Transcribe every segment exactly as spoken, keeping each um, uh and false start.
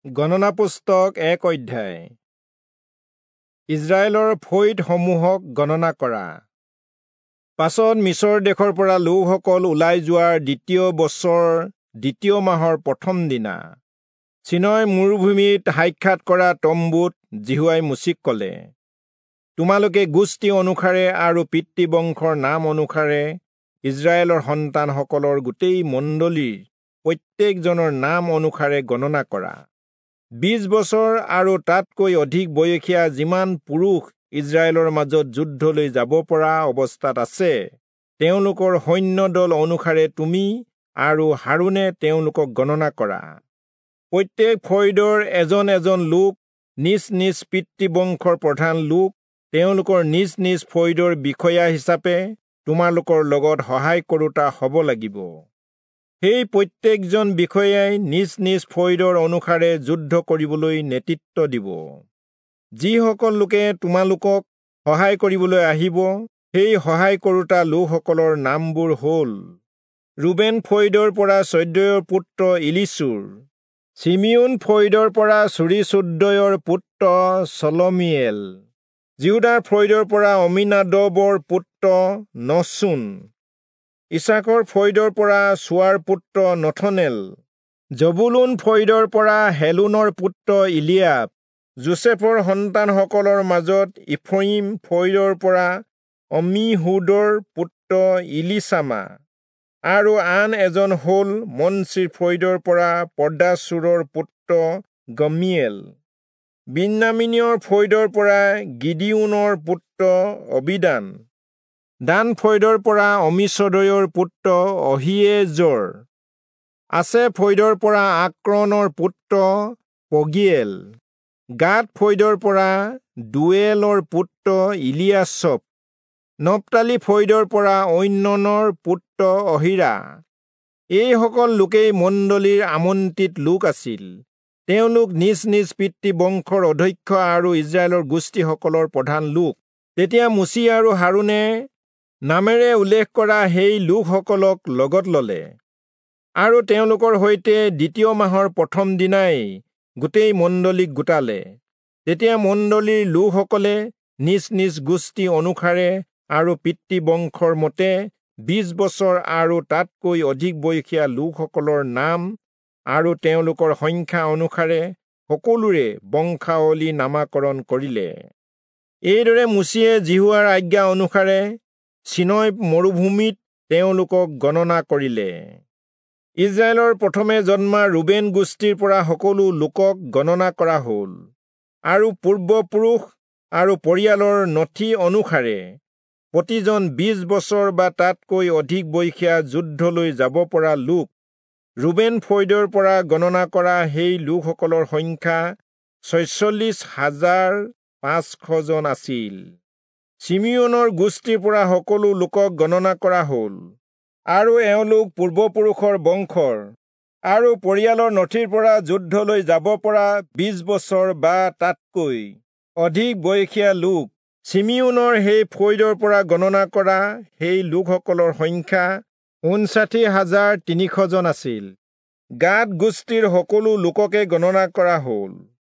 গণনা পুস্তক এক অধ্যায়। ইজৰাইলৰ ফৈদসমূহক গণনা কৰা। পাছত মিচৰ দেশৰ পৰা লোকসকল ওলাই যোৱাৰ দ্বিতীয় বছৰ দ্বিতীয় মাহৰ প্ৰথম দিনা চিনয় মৰুভূমিত সাক্ষাৎ কৰা তম্বুত যিহোৱাই মোচিক ক'লে, তোমালোকে গোষ্ঠী অনুসাৰে আৰু পিতৃবংশৰ নাম অনুসাৰে ইজৰাইলৰ সন্তানসকলৰ গোটেই মণ্ডলীৰ প্ৰত্যেকজনৰ নাম অনুসাৰে গণনা কৰা। বিশ বছৰ আৰু তাতকৈ অধিক বয়সীয়া যিমান পুৰুষ ইজৰাইলৰ মাজত যুদ্ধলৈ যাব পৰা অৱস্থাত আছে, তেওঁলোকৰ সৈন্য দল অনুসাৰে তুমি আৰু হাৰোণে তেওঁলোকক গণনা কৰা। প্ৰত্যেক ফৈদৰ এজন এজন লোক, নিজ নিজ পিতৃবংশৰ প্ৰধান লোক, তেওঁলোকৰ নিজ নিজ ফৈদৰ বিষয়া হিচাপে তোমালোকৰ লগত সহায় কৰোঁতা হ'ব লাগিব। সেই প্ৰত্যেকজন বিষয়াই নিজ নিজ ফৈদৰ অনুসাৰে যুদ্ধ কৰিবলৈ নেতৃত্ব দিব। যিসকল লোকে তোমালোকক সহায় কৰিবলৈ আহিব, সেই সহায় কৰোঁতা লোকসকলৰ নামবোৰ হ'ল: ৰুবেন ফৈদৰ পৰা চৈদয়ৰ পুত্ৰ ইলিচুৰ, চিমিয়োন ফৈদৰ পৰা চুৰীচুদ্দয়ৰ পুত্ৰ চলমীয়েল, যিহূদাৰ ফৈদৰ পৰা অম্মীনাদবৰ পুত্ৰ নহচোন, ইচ্চাখৰ ফৈদৰ পৰা চূৱাৰ পুত্ৰ নথনেল, জবূলূন ফৈদৰ পৰা হেলোনৰ পুত্ৰ ইলিয়াব, যোচেফৰ সন্তানসকলৰ মাজত ইফ্ৰয়িম ফৈদৰ পৰা অম্মীহূদৰ পুত্ৰ ইলীচামা, আৰু আন এজন হ'ল মনচিৰ ফৈদৰ পৰা পদাচূৰৰ পুত্ৰ গম্মীয়েল, বিন্যামীনীয়ৰ ফৈদৰ পৰা গিদিয়োনৰ পুত্ৰ অবীদান, দান ফৈদৰ পৰা অম্মীচদয়ৰ পুত্ৰ অহীয়েজৰ, আচেৰ ফৈদৰ পৰা আক্ৰণৰ পুত্ৰ পগীয়েল, গাদ ফৈদৰ পৰা দূৱেলৰ পুত্ৰ ইলিয়াচপ, নপ্তালী ফৈদৰ পৰা ঐননৰ পুত্ৰ অহীৰা। এইসকল লোকেই মণ্ডলীৰ আমন্ত্ৰিত লোক আছিল। তেওঁলোক নিজ নিজ পিতৃবংশৰ অধ্যক্ষ আৰু ইজৰাইলৰ গোষ্ঠীসকলৰ প্ৰধান লোক। তেতিয়া মোচি আৰু হাৰোণে নামেৰে উল্লেখ কৰা সেই লোকসকলক লগত ললে, আৰু তেওঁলোকৰ সৈতে দ্বিতীয় মাহৰ প্ৰথম দিনাই গোটেই মণ্ডলীক গোটালে। তেতিয়া মণ্ডলীৰ লোকসকলে নিজ নিজ গোষ্ঠী অনুসাৰে আৰু পিতৃবংশৰ মতে বিশ বছৰ আৰু তাতকৈ অধিক বয়সীয়া লোকসকলৰ নাম আৰু তেওঁলোকৰ সংখ্যা অনুসাৰে সকলোৰে বংশাৱলী নামাকৰণ কৰিলে। এইদৰে মোচিয়ে যিহোৱাৰ আজ্ঞা অনুসাৰে চিনয় মৰুভূমিত তেওঁলোকক গণনা কৰিলে। ইজৰাইলৰ প্ৰথমে জন্মা ৰুবেন গোষ্ঠীৰ পৰা সকলো লোকক গণনা কৰা হ'ল, আৰু পূৰ্বপুৰুষ আৰু পৰিয়ালৰ নথি অনুসাৰে প্ৰতিজন বিশ বছৰ বা তাতকৈ অধিক বয়সীয়া যুদ্ধলৈ যাব পৰা লোক ৰুবেন ফৈদৰ পৰা গণনা কৰা সেই লোকসকলৰ সংখ্যা ছয়চল্লিশ হাজাৰ পাঁচশজন আছিল। চিমিয়োনৰ গোষ্ঠীৰ পৰা সকলো লোকক গণনা কৰা হ'ল, আৰু এওঁলোক পূৰ্বপুৰুষৰ বংশৰ আৰু পৰিয়ালৰ নথিৰ পৰা যুদ্ধলৈ যাব পৰা বিশ বছৰ বা তাতকৈ অধিক বয়সীয়া লোক চিমিয়োনৰ সেই ফৈদৰ পৰা গণনা কৰা সেই লোকসকলৰ সংখ্যা ঊনষাঠি হাজাৰ তিনিশজন আছিল। গাদ গোষ্ঠীৰ সকলো লোককে গণনা কৰা হ'ল,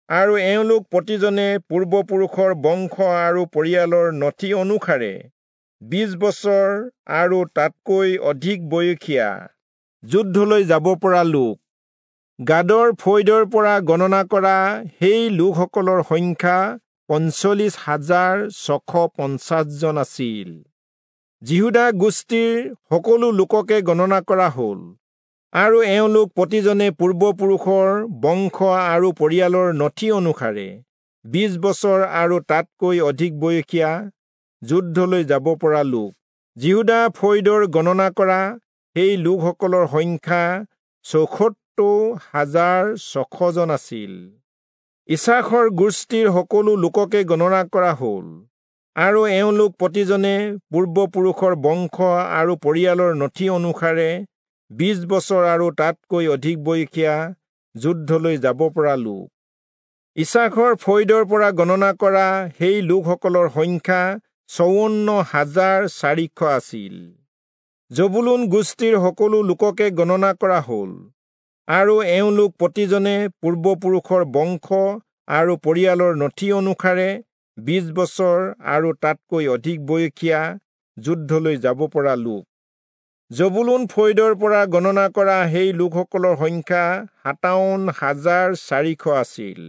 আৰু এওঁলোক প্ৰতিজনে পূৰ্বপুৰুষৰ বংশ আৰু পৰিয়ালৰ নথি অনুসাৰে বিশ বছৰ আৰু তাতকৈ অধিক বয়সীয়া যুদ্ধলৈ যাব পৰা লোক। গাদৰ ফৈদৰ পৰা গণনা কৰা সেই লোকসকলৰ সংখ্যা পঞ্চল্লিশ হাজাৰ ছশ পঞ্চাছজন আছিল। যিহূদা গোষ্ঠীৰ সকলো লোককে গণনা কৰা হ'ল, আৰু এওঁলোক প্ৰতিজনে পূৰ্বপুৰুষৰ বংশ আৰু পৰিয়ালৰ নথি অনুসাৰে বিশ বছৰ আৰু তাতকৈ অধিক বয়সীয়া যুদ্ধলৈ যাব পৰা লোক। যিহূদা ফৈদৰ গণনা কৰা সেই লোকসকলৰ সংখ্যা চৌসত্তৰ হাজাৰ ছশজন আছিল। ইচ্চাখৰ গোষ্ঠীৰ সকলো লোককে গণনা কৰা হ'ল, আৰু এওঁলোক প্ৰতিজনে পূৰ্বপুৰুষৰ বংশ আৰু পৰিয়ালৰ নথি অনুসাৰে বিশ বছৰ আৰু তাতকৈ অধিক বয়সীয়া যুদ্ধলৈ যাব পৰা লোক। ইচ্চাখৰ ফৈদৰ পৰা গণনা কৰা সেই লোকসকলৰ সংখ্যা চৌৱন্ন হাজাৰ চাৰিশ আছিল। জবূলূন গোষ্ঠীৰ সকলো লোককে গণনা কৰা হ'ল, আৰু এওঁলোক প্ৰতিজনে পূৰ্বপুৰুষৰ বংশ আৰু পৰিয়ালৰ নথি অনুসাৰে বিশ বছৰ আৰু তাতকৈ অধিক বয়সীয়া যুদ্ধলৈ যাব পৰা লোক। জবুলূন ফৈদৰ পৰা গণনা কৰা সেই লোকসকলৰ সংখ্যা সাতাৱন্ন হাজাৰ চাৰিশ আছিল।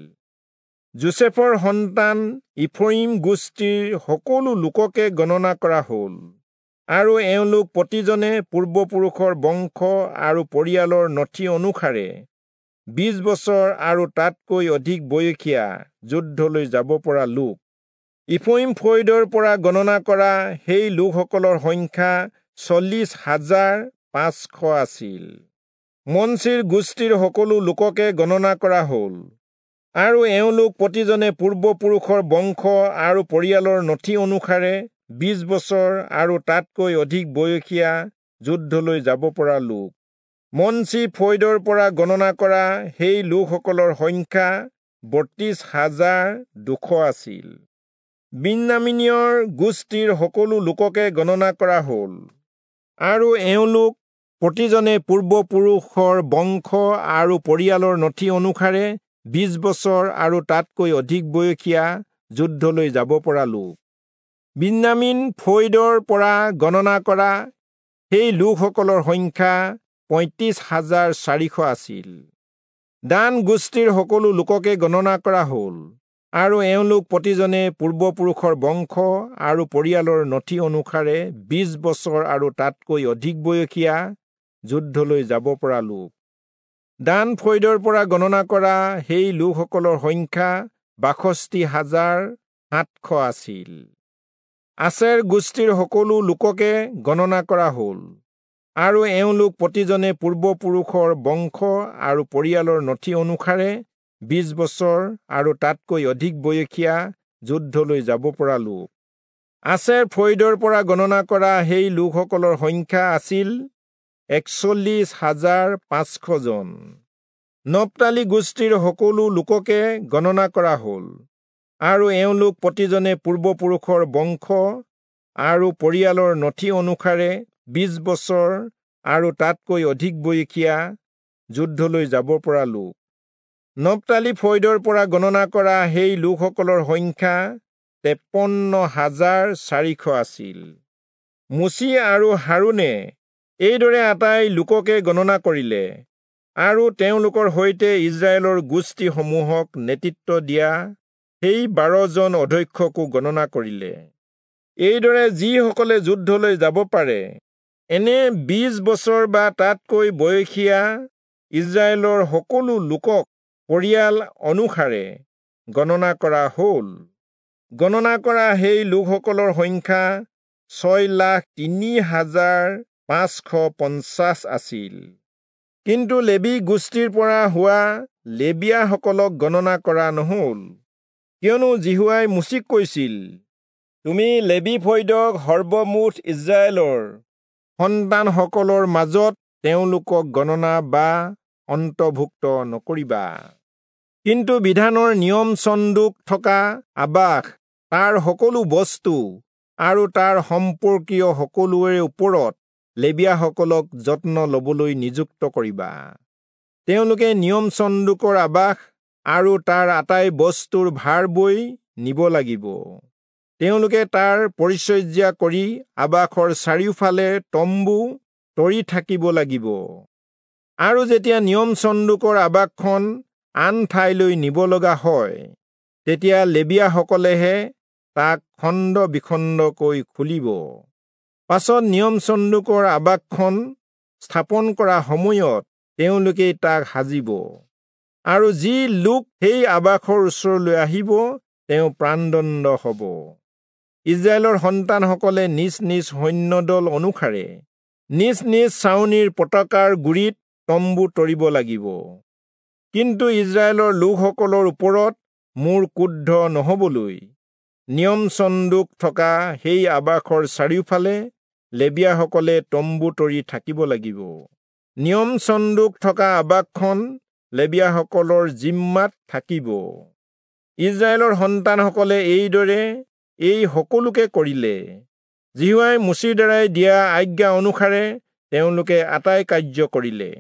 যোচেফৰ সন্তান ইফ্ৰয়িম গোষ্ঠীৰ সকলো লোককে গণনা কৰা হ'ল, আৰু এওঁলোক প্ৰতিজনে পূৰ্বপুৰুষৰ বংশ আৰু পৰিয়ালৰ নথি অনুসাৰে বিশ বছৰ আৰু তাতকৈ অধিক বয়সীয়া যুদ্ধলৈ যাব পৰা লোক। ইফ্ৰয়িম ফৈদৰ পৰা গণনা কৰা সেই লোকসকলৰ সংখ্যা চল্লিশ হাজাৰ পাঁচশ আছিল। মনচিৰ গোষ্ঠীৰ সকলো লোককে গণনা কৰা হ'ল, আৰু এওঁলোক প্ৰতিজনে পূৰ্বপুৰুষৰ বংশ আৰু পৰিয়ালৰ নথি অনুসাৰে বিশ বছৰ আৰু তাতকৈ অধিক বয়সীয়া যুদ্ধলৈ যাব পৰা লোক। মনচি ফৈদৰ পৰা গণনা কৰা সেই লোকসকলৰ সংখ্যা বত্ৰিশ হাজাৰ দুশ আছিল। বিন্যামীনীয়ৰ গোষ্ঠীৰ সকলো লোককে গণনা কৰা হ'ল, আৰু এওঁলোক প্ৰতিজনে পূৰ্বপুৰুষৰ বংশ আৰু পৰিয়ালৰ নথি অনুসাৰে বিশ বছৰ আৰু তাতকৈ অধিক বয়সীয়া যুদ্ধলৈ যাব পৰা লোক। বিন্যামীন ফৈদৰ পৰা গণনা কৰা সেই লোকসকলৰ সংখ্যা পঁয়ত্ৰিশ হাজাৰ চাৰিশ আছিল। দান গোষ্ঠীৰ সকলো লোককে গণনা কৰা হ'ল, আৰু এওঁলোক প্ৰতিজনে পূৰ্বপুৰুষৰ বংশ আৰু পৰিয়ালৰ নথি অনুসাৰে বিশ বছৰ আৰু তাতকৈ অধিক বয়সীয়া যুদ্ধলৈ যাব পৰা লোক। দান ফৈদৰ পৰা গণনা কৰা সেই লোকসকলৰ সংখ্যা বাষষ্ঠি হাজাৰ সাতশ আছিল। আছেৰ গোষ্ঠীৰ সকলো লোককে গণনা কৰা হ'ল, আৰু এওঁলোক প্ৰতিজনে পূৰ্বপুৰুষৰ বংশ আৰু পৰিয়ালৰ নথি অনুসাৰে বিশ বছৰ আৰু তাতকৈ অধিক বয়সীয়া যুদ্ধলৈ যাব পৰা লোক। আছেৰ ফৈদৰ পৰা গণনা কৰা সেই লোকসকলৰ সংখ্যা আছিল একচল্লিশ হাজাৰ পাঁচশ জন। নপ্তালি গোষ্ঠীৰ সকলো লোককে গণনা কৰা হ'ল, আৰু এওঁলোক প্ৰতিজনে পূৰ্বপুৰুষৰ বংশ আৰু পৰিয়ালৰ নথি অনুসাৰে বিশ বছৰ আৰু তাতকৈ অধিক বয়সীয়া যুদ্ধলৈ যাব পৰা লোক। নপ্তালি ফৈদৰ পৰা গণনা কৰা সেই লোকসকলৰ সংখ্যা তেপন্ন হাজাৰ চাৰিশ আছিল। মোচি আৰু হাৰোণে এইদৰে আটাই লোককে গণনা কৰিলে, আৰু তেওঁলোকৰ সৈতে ইজৰাইলৰ গোষ্ঠীসমূহক নেতৃত্ব দিয়া সেই বাৰজন অধ্যক্ষকো গণনা কৰিলে। এইদৰে যিসকলে যুদ্ধলৈ যাব পাৰে এনে বিশ বছৰ বা তাতকৈ বয়সীয়া ইজৰাইলৰ সকলো লোকক পৰিয়াল অনুসাৰে গণনা কৰা হ'ল। গণনা কৰা সেই লোকসকলৰ সংখ্যা ছয় লাখ তিনি হাজাৰ পাঁচশ পঞ্চাছ আছিল। কিন্তু লেবী গোষ্ঠীৰ পৰা হোৱা লেবীয়াসকলক গণনা কৰা নহ'ল, কিয়নো যিহোৱাই মোচিক কৈছিল, তুমি লেবী ফৈদক সৰ্বমুঠ ইজৰাইলৰ সন্তানসকলৰ মাজত তেওঁলোকক গণনা বা অন্তৰ্ভুক্ত নকৰিবা। কিন্তু বিধানৰ নিয়ম চন্দুক থকা আবাস, তাৰ সকলো বস্তু আৰু তাৰ সম্পৰ্কীয় সকলোৰে ওপৰত লেবীয়াসকলক যত্ন ল'বলৈ নিযুক্ত কৰিবা। তেওঁলোকে নিয়ম চন্দুকৰ আবাস আৰু তাৰ আটাই বস্তুৰ ভাৰ বৈ নিব লাগিব। তেওঁলোকে তাৰ পৰিচৰ্যা কৰি আবাসৰ চাৰিওফালে তম্বু তৰি থাকিব লাগিব। আৰু যেতিয়া নিয়ম চন্দুকৰ আবাসখন আন ঠাইলৈ নিব লগা হয়, তেতিয়া লেবীয়াসকলেহে তাক খণ্ড বিখণ্ডকৈ খুলিব। পাছত নিয়ম চন্দুকৰ আবাসখন স্থাপন কৰা সময়ত তেওঁলোকেই তাক সাজিব, আৰু যি লোক সেই আবাসৰ ওচৰলৈ আহিব তেওঁ প্ৰাণদণ্ড হ'ব। ইজৰাইলৰ সন্তানসকলে নিজ নিজ সৈন্যদল অনুসাৰে নিজ নিজ ছাউনিৰ পতাকাৰ গুৰিত তম্বু তৰিব লাগিব। কিন্তু ইজৰাইলৰ লোকসকলৰ ওপৰত মোৰ ক্ৰোধ নহ'বলৈ নিয়ম চন্দুক থকা সেই আবাসৰ চাৰিওফালে লেবীয়াসকলে তম্বু তৰি থাকিব লাগিব। নিয়ম চন্দুক থকা আবাসখন লেবীয়াসকলৰ জিম্মাত থাকিব। ইজৰাইলৰ সন্তানসকলে এইদৰে এই সকলোকে কৰিলে। যিহোৱাই মোচিৰ দ্বাৰাই দিয়া আজ্ঞা অনুসাৰে তেওঁলোকে আটাই কাৰ্য কৰিলে।